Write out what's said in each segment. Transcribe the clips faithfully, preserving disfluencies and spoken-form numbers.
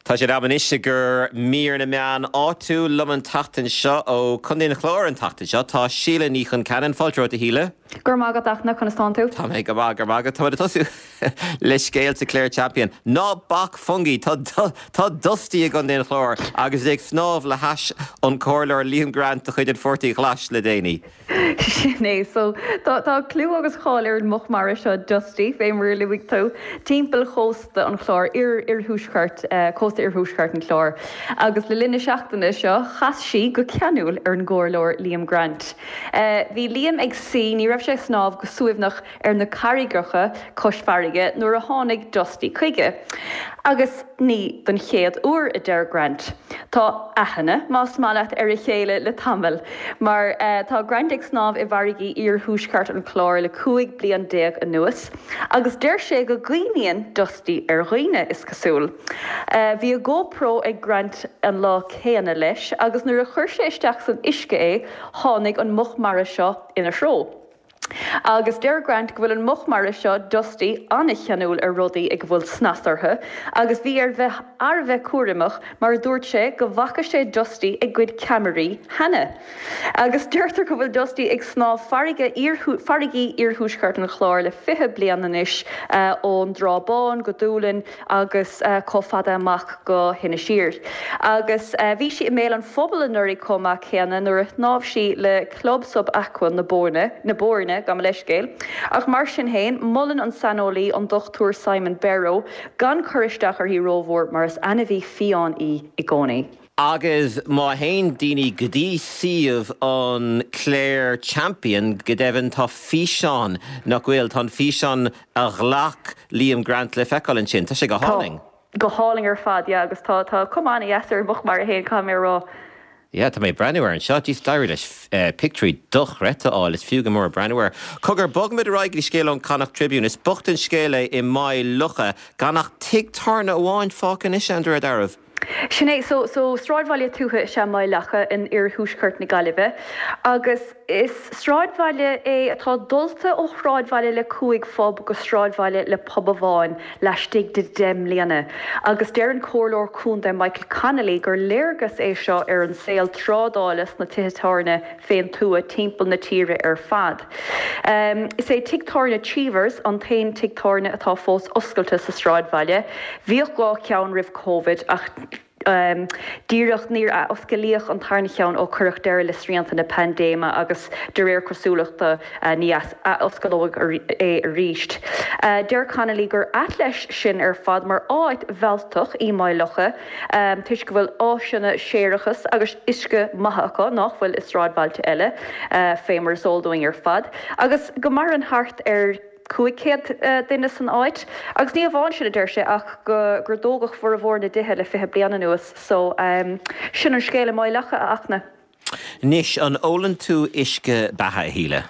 Tá sé am anois gur mír na meán áitiúil liom an tseachtain seo ó Chontae an Chláir an tseachtain seo tá Síle Ní Chonceanainn fáilte romhat a Shíle. Gur magat achna chun tú? Tá mé go maith go maith tá tosú le scéalta Clare Champion. Ná bac Fungie tá tá Dusty i gContae an Chláir agus ag snámh le hais an comhairleoir Liam Grant de chuid an Pháirtí Ghlais le déanaí. Sin é so tá tá clú agus cáil ar an muc mara seo Dusty fé mar a luaigh tú timpeall chósta an Chláir ir iarthuaisceart uh, cósta iarthuaisceart an Chláir. Agus le linn na seachtaine seo chas sí go ceanúil ar an gcomhairleoir Liam Grant. Uh, bhí Liam ag suí ní raibh sé snámh go suaimhneach ar na carraigeacha cois farraige nuair a tháinig Dusty chuige. Agus ní don chéad uair a deir Grant. Tá aithne más maith leat ar a chéile le tamall, mar uh, tá Grant ag snámh i bhfarraigí iarthuaisceart an Chláir le cúig bliain déag anuas, agus deir sé go gcuimhníonn Dusty ar dhaoine is cosúil. Uh, bhí a GoPro ag Grant an lá céanna leis, agus nuair a chuir sé isteach san uisce é tháinig an muc mara seo ina threo. Agus deir Grant go bhfuil an muc mara seo Dusty an-cheanúil ar rudaí ag bhfuil snas orthu, agus bhí air bheith thar a bheith cúramach mar dúirt sé go bhfaca sé Dusty ag goid ceamaraí cheana. Agus deirtear go bhfuil Dusty ag snámh farraige farraigí iarthuaisceart an Chláir le fiche bliain anois uh, ón dTrá Bhán go Dúlainn agus uh, chomh fada amach go hInis Oírr. Agus uh, bhí sí i mbéal an phobail anuraidh chomh maith céanna nuair a shnámh sí le Club Sub Aqua na Boirne na Boirne gabh mo leithscéal. Ach mar sin féin molann an saineolaí an Dr Simon Berrow gan cur isteach uirthi rómhór mar is ainmhí fiáin í i gcónaí. Agus má théann daoine go dtí suíomh an Clare Champion go deimhin tá físeán nach bhfuil tá físeán a ghlac Liam Grant le feiceáil ansin, Tá sé go hálainn. Go hálainn ar fad agus tá tá cuma an-deas ar muc mara féin caithfidh mé rá. Ja, tá mé breathnú ar anseo dís d'éirigh leis uh, pictiúirí dochreidte a fháil is fiú go mór breathnú air. Cogar bogfaimid ar aghaidh scéal ón Connacht Tribune is bocht an scéal é i Maigh Locha gan ach tigh tábhairne amháin fágtha anois an darbh. Sin é so so sráidbhaile tuaithe is ea Maigh Locha in iarthuaisceart na Gaillimhe, agus is sráidbhaile é atá dulta ó shráidbhaile le cúig phub go sráidbhaile le pub amháin laistigh de deich mbliana. Agus deir an comhairleoir contae Michael Connolly gur léargas é seo ar an saol trádála sna tithe tábhairne fén tuath timpeall na tíre ar fad. Um, is é tigh tábhairne Cheevers an t-aon tigh tábhairne atá fós oscailte sa sráidbhaile, Bhíodh dhá cheann roimh COVID ach um, díreach níor osclaíodh an tarna ceann ó cuireadh deireadh le srianta na paindéime agus de réir cosúlachta uh, ní osclófar é arís. Uh, Deir Connolly gur ait leis sin ar fad mar áit mhealltach í Maigh Locha um, toisc go bhfuil áiseanna séarachais agus uisce maith acu nach bhfuil i sráidbhailte eile uh, fé mar is eol dúinn ar fad, agus go maireann thart ar cúig chéad duine san áit, agus ní amháin sin a deir sé ach go gur dógadh formhór na dtithe le fiche bliain anuas, so um, sin an scéal i Maigh Locha a Fhachtna. Anois an ólann tú uisce beatha a Shíle.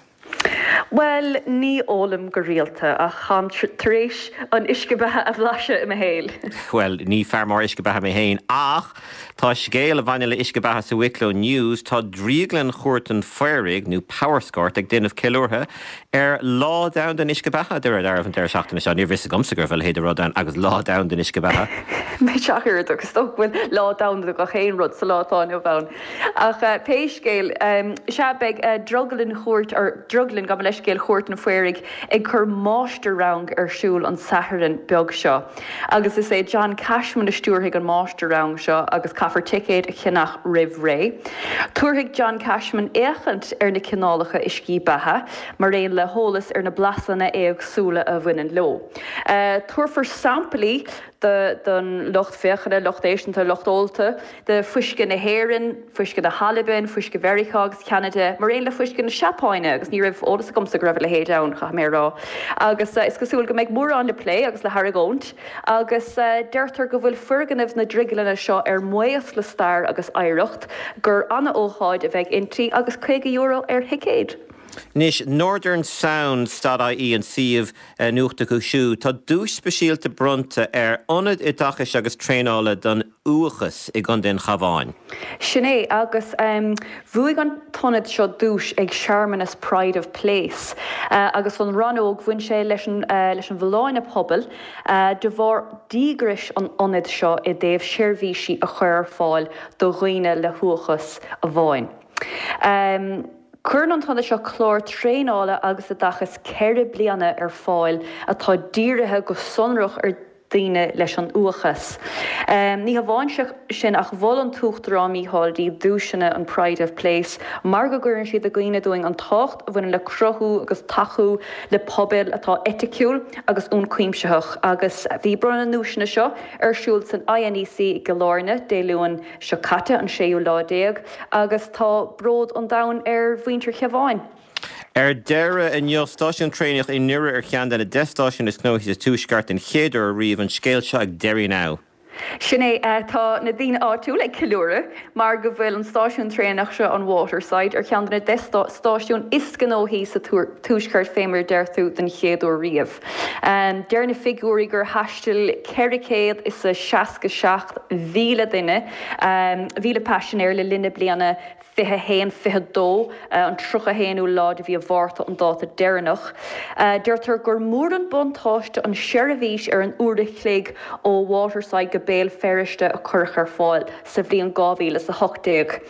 Well ní ólaim go rialta ach táim tar éis an uisce beatha a bhlaiseadh i mo shaol. Well ní fear mór uisce beatha mé féin ach tá scéal a bhaineann le uisce beatha sa Wicklow News tá Drioglann Chúirt an Phaoraigh nó Powerscourt ag déanamh ceiliúrtha ar Lá Domhanda an Uisce Beatha de ar an deireadh seachtaine seo ní bhris gomsa gur bhfuil héad rud an agus Lá Domhanda an Uisce Beatha. Mé seair agus bhfuil lá domhanda do gach aon rud sa lá atá inniu ann. Ach uh, pé scéal um, sea beidh uh, drioglann chúirt or drioglann gabh mo leithscéal Chúirt an Phaoraigh ag cur máistir-rang ar siúl an Satharn beag seo. Agus is é John Cashman a stiúrfaidh an máistir-rang seo agus caithfear ticéad a cheannach roimh ré. Tabharfaidh John Cashman féachaint ar na cineálacha uiscí beatha, mar aon le heolas ar na blasanna éagsúla a bhaineann leo. Uh, Tabharfar samplaí don lucht féachana lucht éisteachta lucht ólta de fuisce na hÉireann, fuisce na hAlban, fuisce Mheiriceá agus Ceanada, mar aon le fuisce na Seapáine agus ní raibh eolas agamsa go raibh a leithéid ann caithfidh mé rá. Agus uh, is cosúil go mbeidh mórán le plé agus le hargóint, agus uh, deirtear go bhfuil foirgnimh na drioglainne seo ar maos le stair agus oidhreacht gur an-ócáid a bheidh inti agus caoga euro ar thicéad. Anois Northern Sounds dot IE an suíomh nuachta acu siúd. Tá duais speisialta bronnta ar Ionad Oideachais agus Traenála don Uathachas i gContae an Chabháin. Sin é, agus bhuaigh an t-ionad seo duais ag searmanas Pride of Place agus an rannóg bhain sé leis an leis an bhfolláine pobail de bharr díograis an ionaid seo i dtaobh seirbhísí a chur ar fáil do dhaoine le huathachas amháin. Cuireann an t-ionad seo clár traenála agus oideachais ceithre bliana ar fáil atá dírithe go sonrach ar daoine leis an uathachas. Ní hamháin sin ach mhol an tUachtarán Micheál D duaiseanna an Pride of Place mar go gcuireann siad i gcuimhne dúinn an tábhacht a bhaineann le cruthú agus tacú le pobail atá eiticiúil agus ionchuimsitheach agus bhí bronnadh na nduaiseanna seo ar siúl san INEC i gCill Airne Dé Luain seo caite, an séú lá déag, agus tá bród an domhain ar mhuintir Chabháin. Ar deireadh inniu, stáisiún traenach i nDoire ar cheann de na deich stáisiún is gnóthaí sa Tuaisceart den chéad uair riamh, an scéal seo ag Derry Now. Sin é, tá na daoine áitiúil ag ceiliúradh mar go bhfuil an stáisiún traenach seo, an Waterside, ar cheann de na deich stáisiún is gnóthaí sa Tuaisceart fé mar a deir tú den chéad uair riamh. Deir na figiúirí gur thaistil ceithre chéad is a seasca seacht mhíle duine, mhíle paisinéir le linn na bliana fiche a haon, fiche a dó, an tríocha a haonú lá de mhí an Mhárta an dáta deireanach. Deirtear gur mór an buntáiste an tseirbhís ar an uair a chloig ó Waterside go Béal Feirste a cuireadh ar fáil sa bhliain dhá mhíle is a hocht déag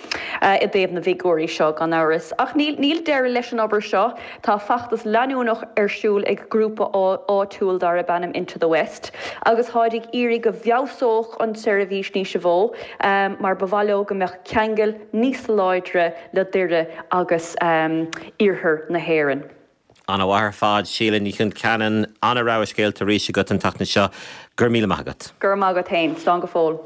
i dtaobh na bhfigiúirí seo, gan amhras. Ach níl níl deireadh leis an obair seo. Tá feachtas leanúnach ar siúl ag grúpa áitiúil darb ainm Into the West agus táid ag iarraidh go bhfeabhsódh an tseirbhís níos mó mar ba mhaith leo go mbeadh ceangal níos láidre le Doire agus iarthar na hÉireann. Ana-mhaith ar fad, Síle Ní Chonceanainn, ana-rogha scéalta arís agat an tseachtain seo. Go raibh míle maith agat. Go raibh maith agat féin. Slán go fóill.